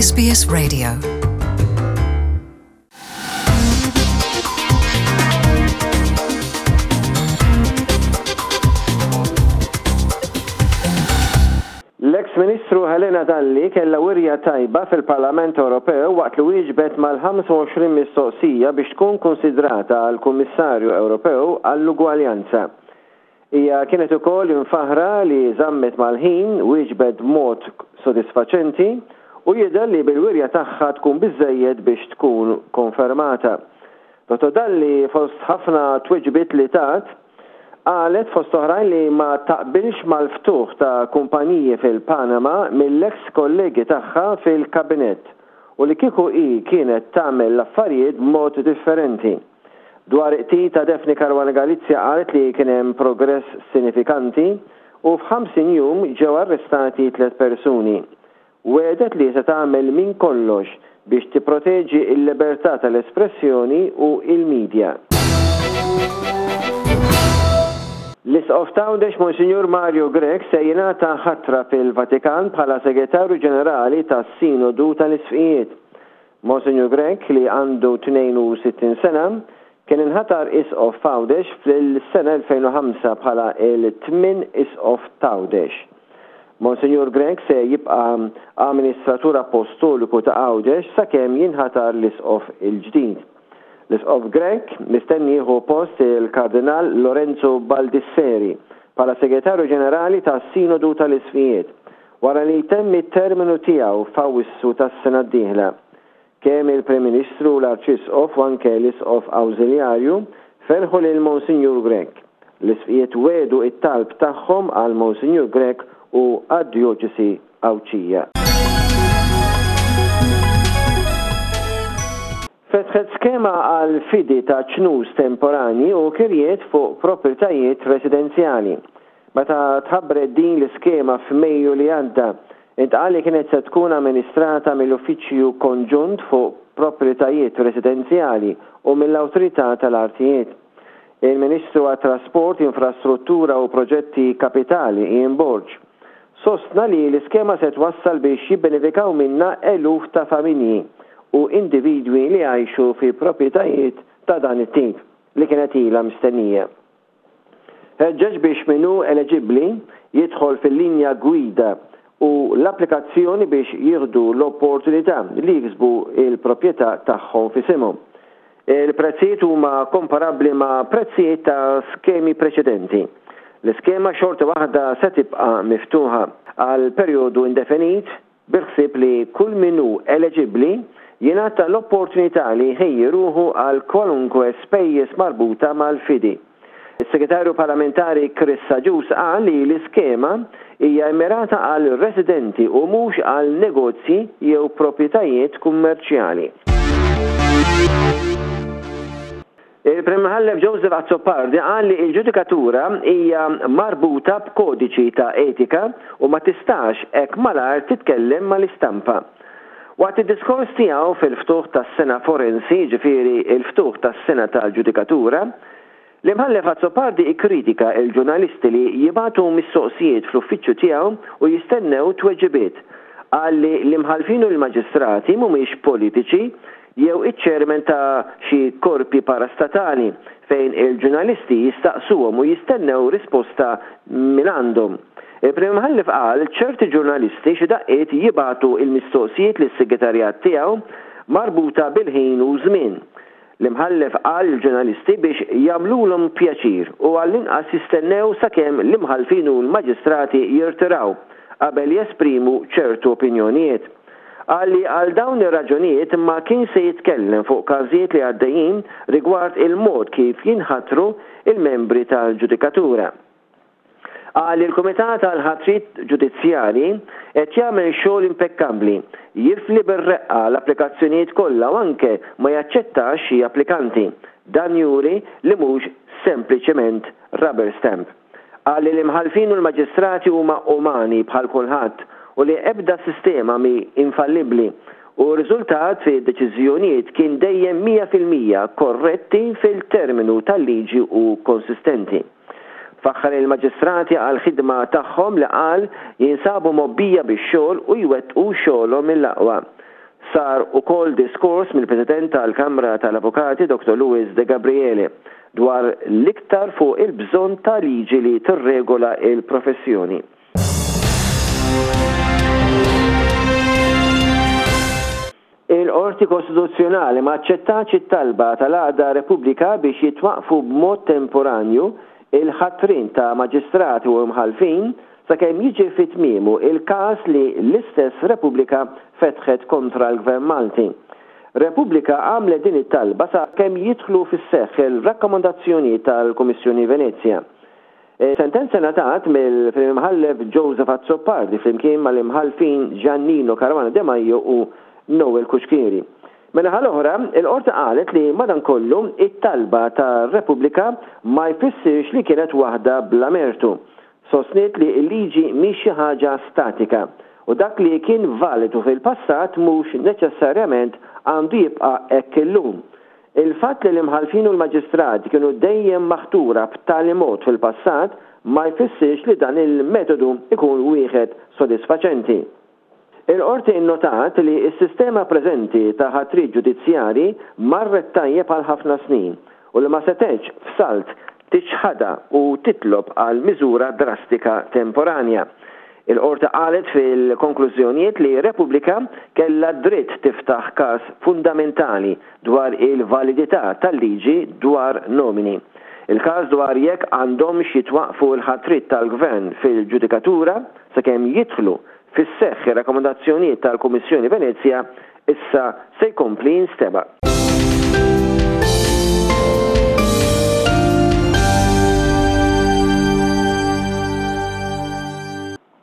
SBS Radio. L-eks Ministru Helena Dalli kellha wirja tajba fil-Parlament Ewropew waqt li wieġbet mal-25 mistoqsija biex tkun kunsidrata għal Kummissarju Ewropew għall-Ugwaljanza. Hija kienet ukoll imfaħħra li żammet mal-ħin, wieġbet b'mod sodisfaċenti u jidher li bil-wirja tagħha tkun biżżejjed biex tkun konfermata. Dottor Dalli fost ħafna tweġibiet li tat, qalet fost oħrajn li ma taqbilx mal-ftuħ ta' kumpaniji fil-Panama mill-eks kollegi tagħha fil-Kabinett u li kieku hi kienet tagħmel l-affarijiet b'mod differenti. Dwar qtil ta' Daphne Caruana Galizia qalet li kien hemm progress sinifikanti u f'50 jum ġew arrestati tlett persuni. Wegħdet li se tagħmel minn kollox biex tipproteġi l-libertà tal-espressjoni u l-media. L-Isqof t'Għawdex Monsinjur Mario Grech se jingħata ħatra fil-Vatikan bħala Segretarju Ġenerali tas-Sinodu tal-Isqfijiet. Monsinjur Grech, li għandu 62 sena, kien inħatar Isqof f'Għawdex fl-sena 2005 bħala l-tmien Isqof t'Għawdex. Monsinjur Grech se jibqa' Amministratur Appostoliku ta' Għawdex sakemm jinħatar l-Isqof il-ġdid. L-Isqof Grech mistenni jieħu post il-Kardinal Lorenzo Baldisseri bħala Segretarju Ġenerali tas-Sinodu tal-Isqfijiet wara li jtemm it-terminu tiegħu f'Awwissu tas-sena d-dieħla. Kemm il-Prim Ministru, l-Arċisqof u anke l-Isqof Awżiljarju ferħu lil Monsinjur Grech. L-Isqfijiet wiegħdu t-talb tagħhom għal Monsinjur Grech u għad-Djoċesi Għawdxija. Fetħet skema għal fidi ta' ċnus temporanji u kirjiet fuq proprjetajiet residenzjali. Meta tħabbret din l-iskema f'Mejju li għadda, intqal li kienet se tkun amministrata mill-Uffiċċju Konġunt fuq Proprjetajiet Residenzjali u mill-Awtorità tal-Artijiet. Il-Ministru għat-Trasport, Infrastruttura u Proġetti Kapitali, Ian Borg, sostna li l-iskema se twassal biex jibbenefikaw minnha eluf ta' familji u individwi li jgħixu fi proprjetajiet ta' dan it-tip li kienet ilha mistennija. Ħeġġeġ biex min hu eleġibbli jidħol fil-linja gwida u l-applikazzjoni biex jieħdu l-opportunità li jiksbu l-proprjetà tagħhom f'isimhom. Il-prezzijiet huma komparabbli ma' prezzijiet ta' skemi preċedenti. L-iskema xorta waħda se tibqa' miftuħa għal perjodu indefinit bil-ħsieb li kull min hu eleġibbli jingħata l-opportunità li jħejji ruħu għal kwalunkwe spejjeż marbuta mal-fidi. Is-Segretarju Parlamentari Chris Agius qal li l-iskema hija mmirata għal residenti u mhux għal negozji jew proprjetajiet kummerċjali. Il-Prim Imħallef Joseph Azzopardi qal li l-ġudikatura hija marbuta b'kodiċi ta' etika u ma tistax hekk malajr titkellem mal-istampa. Waqt id-diskors tiegħu fil-ftuħ tas-sena forensi, jiġifieri l-ftuħ tas-sena tal-ġudikatura, l-Imħallef Azzopardi kkritika l-ġurnalisti li jibagħtu mistoqsijiet fl-uffiċċju tiegħu u jistennew tweġibiet. Qal li l-imħallfin u l-maġistrati mhumiex politiċi jew iċ-chairman ta' xi korpi parastatali fejn il-ġurnalisti jistaqsuhom u jistennew risposta mingħandhom. Il-Prim Imħallef qal ċerti ġurnalisti xi daqqiet jibagħtu l-mistoqsijiet lis-segretarjat tiegħu marbuta bil-ħin u żmien. L-Imħallef qal lill-ġurnalisti biex jagħmlulhom pjaċir u għall-inqas jistennew sakemm l-imħallfin u l-maġistrati jirtiraw qabel jesprimu ċertu opinjonijiet. Qal li għal dawn ir-raġunijiet ma kienx se jitkellem fuq każijiet li għaddejjin rigward il-mod kif jinħatru l-membri tal-ġudikatura. Qal li l-Kumitat għall-Ħatriet Ġudizzjarji qed jagħmel xogħol impekkabbli, jifli bir-reqqa l-applikazzjonijiet kollha u anke ma jaċċettax xi applikanti. Dan juri li mhux sempliċement rubber stamp. Qal li l-imħallfin u l-maġistrati huma umani bħal kulħadd u li ebda sistema mhi infallibbli u r-riżultat fid-deċiżjonijiet kien dejjem 100% korretti fil-terminu tal-liġi u konsistenti. Faħħar il-maġistrati għall-ħidma tagħhom li qal jinsabu mgħobbija bix-xogħol u jwettqu xogħolhom mill-aqwa. Sar ukoll diskors mill-President tal-Kamra tal-Avukati Dottor Louis De Gabriele dwar l-iktar fuq il-bżonn ta' liġi li tirregola l-professjoni. Il-Qorti Kostituzzjonali ma aċċettatx it-talba tal-għaqda Repubblika biex jitwaqqfu b'mod temporanju il-ħatrien ta' maġistrati u imħallfin sakemm jiġi fi tmiemu il-każ li l-istess Repubblika fetħet kontra l-Gvern Malti. Repubblika għamlet din it-talba sakemm jidħlu fis-seħħ il-rakkomandazzjonijiet tal-Kummissjoni Venezja. Is-sentenza ngħatat mill-Prim Imħallef Joseph Azzopardi flimkien mal-Imħallfin Giannino Caruana Demajo u Noel Cuschieri. Min-naħa l-oħra, il-Qorti qalet li madankollu it-talba ta' Repubblika ma jfissirx li kienet waħda bla mertu. Sostniet li l-liġi mhix xi ħaġa statika u dak li kien validu fil-passat mhux neċessarjament għandu jibqa' hekk illum. Il-fatt li l-imħallfin u l-maġistrati kienu dejjem maħtura b'tali mod fil-passat ma jfissirx li dan il-metodu jkun wieħed sodisfaċenti. Il-Qorti nnotat li s-sistema preżenti ta' ħatriet ġudizzjarji marret tajjeb għal ħafna snin u li ma setgħetx f'salt tiċħadha u titlob għal miżura drastika temporanja. Il-Qorti qalet fil-konklużjonijiet li Repubblika kellha d-dritt tiftaħ każ fundamentali dwar il-validità tal-liġi dwar nomini. Il-każ dwar jekk għandhomx jitwaqqfu l-ħatriet tal-Gvern fil-ġudikatura sakemm jidħlu fis-seħħ ir-rakkomandazzjonijiet tal-Kummissjoni Venezja issa se jkompli jinstema'.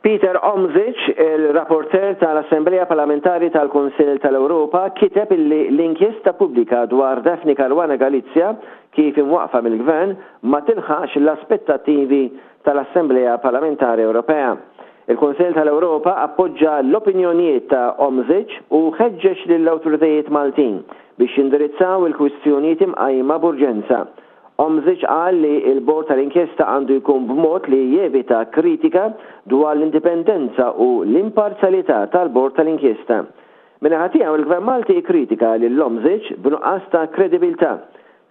Peter Omzic, il-rapporteur tal-Assemblea Parlamentari tal-Kunsill tal-Ewropa, kiteb illi l-inkjesta pubblika dwar Daphne Caruana Galizia, kif imwaqqfa mill-Gvern, ma tilħaqx l-aspettattivi tal-Assemblea Parlamentari Ewropea. Il-Kunsill tal-Ewropa appoġġa l-opinjonijiet ta' Omzic u ħeġġeġ lill-awtoritajiet Maltin biex jindirizzaw il-kwistjonijiet imqajma b'urġenza. Omzic qal li l-bord tal-inkjesta għandu jkun b'mod li jevita kritika dwar l-indipendenza u l-imparzjalità tal-bord tal-inkjesta. Min-naħa tiegħu il-Gvern Malti kkritika lil Omzic b'nuqqas ta' kredibilità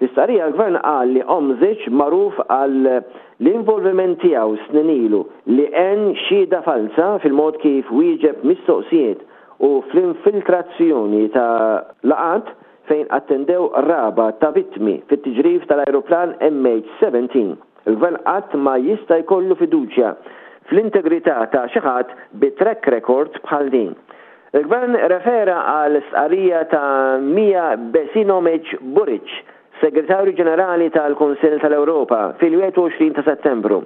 Fi stqarrija l-Gvern qal li Omzic, magħruf għal l-involviment tiegħu snin ilu li għen xhieda falza fil-mod kif wieġeb mistoqsijiet u fl-infiltrazzjoni ta' laqgħat fejn attendew qraba ta' vittmi fit-tiġrif tal-ajruplan MH17. Il-Gvern qatt ma jista' jkollu fiduċja fl-integrità ta' xi ħadd bi track record bħal din. Il-Gvern refera għal stqarrija ta' Mia Besinomic Buric, Segretarju Ġenerali tal-Kunsill tal-Ewropa fil-21 ta' Settembru,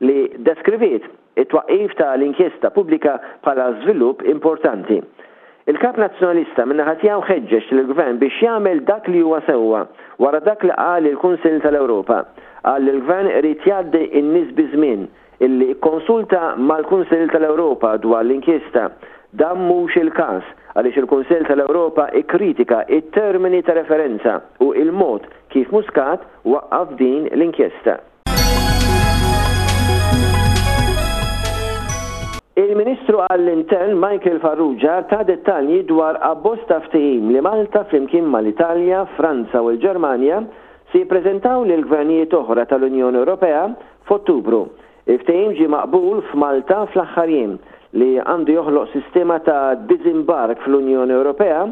li deskriviet it-twaqqif ta' l-inkjesta pubblika bħala żvilupp importanti. Il-Kap Nazzjonalista min-naħa tiegħu ħeġġeġ lill-Gvern biex jagħmel dak li huwa sewwa wara dak li qal il-Kunsill tal-Ewropa. Qal li l-Gvern irid jgħaddi n-nies biż-żmien illi kkonsulta mal-Kunsill tal-Ewropa dwar l-inkjesta. Dan mhux il-każ, għaliex il-Kunsill tal-Ewropa kkritika t-termini ta' referenza u l-mod kif Muscat waqqaf din l-inkjesta. Il-Ministru għall-Intern Michael Farrugia ta dettalji dwar abbozz ta' ftehim li Malta flimkien mal-Italja, Franza u l-Ġermanja se jippreżentaw lil gvernijiet oħra tal-Unjoni Ewropea F'Ottubru, il-ftehim ġie maqbul f'Malta fl-aħħar jiem, li għandu joħloq sistema ta' diżimbark fl-Unjoni Ewropea,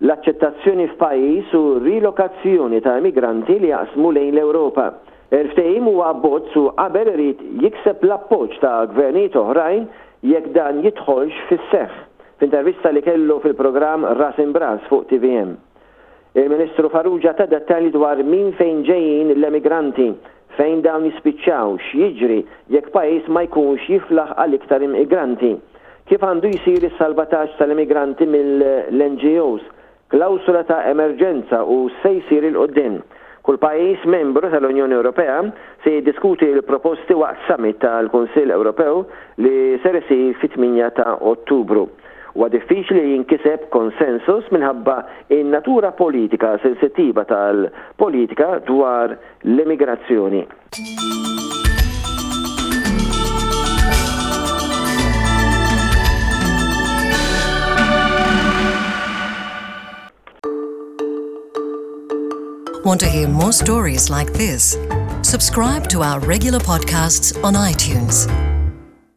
l-aċċettazzjoni f'pajjiż u rilokazzjoni ta' immigranti li jaqsmu lejn l-Ewropa. Il-ftehim huwa abbozz u qabel irid jikseb l-appoġġ ta' gvernijiet oħrajn jekk dan jidħolx fis-seħħ, f'intervista li kellu fil-programm Ras Imb'Ras fuq tvm. Il-Ministru Farrugia ta dettalji dwar minn fejn ġejjin l-emigranti, fejn dawn jispiċċaw, x'jiġri jekk pajjiż ma jkunx jiflaħ għal iktar immigranti, kif għandu jsir is-salvataġġ tal-immigranti mill-NGOs, klawsola ta' emerġenza u x'se jsir 'il quddiem. Kull pajjiż membru tal-Unjoni Ewropea se jiddiskuti l-proposti waqt summit tal-Kunsill Ewropew li ser isir fit-8 ta' Ottubru. Huwa diffiċli li jinkiseb konsensus minħabba n-natura politika sensittiva tal-politika dwar l-immigrazzjoni. Want to hear more stories like this? Subscribe to our regular podcasts on iTunes.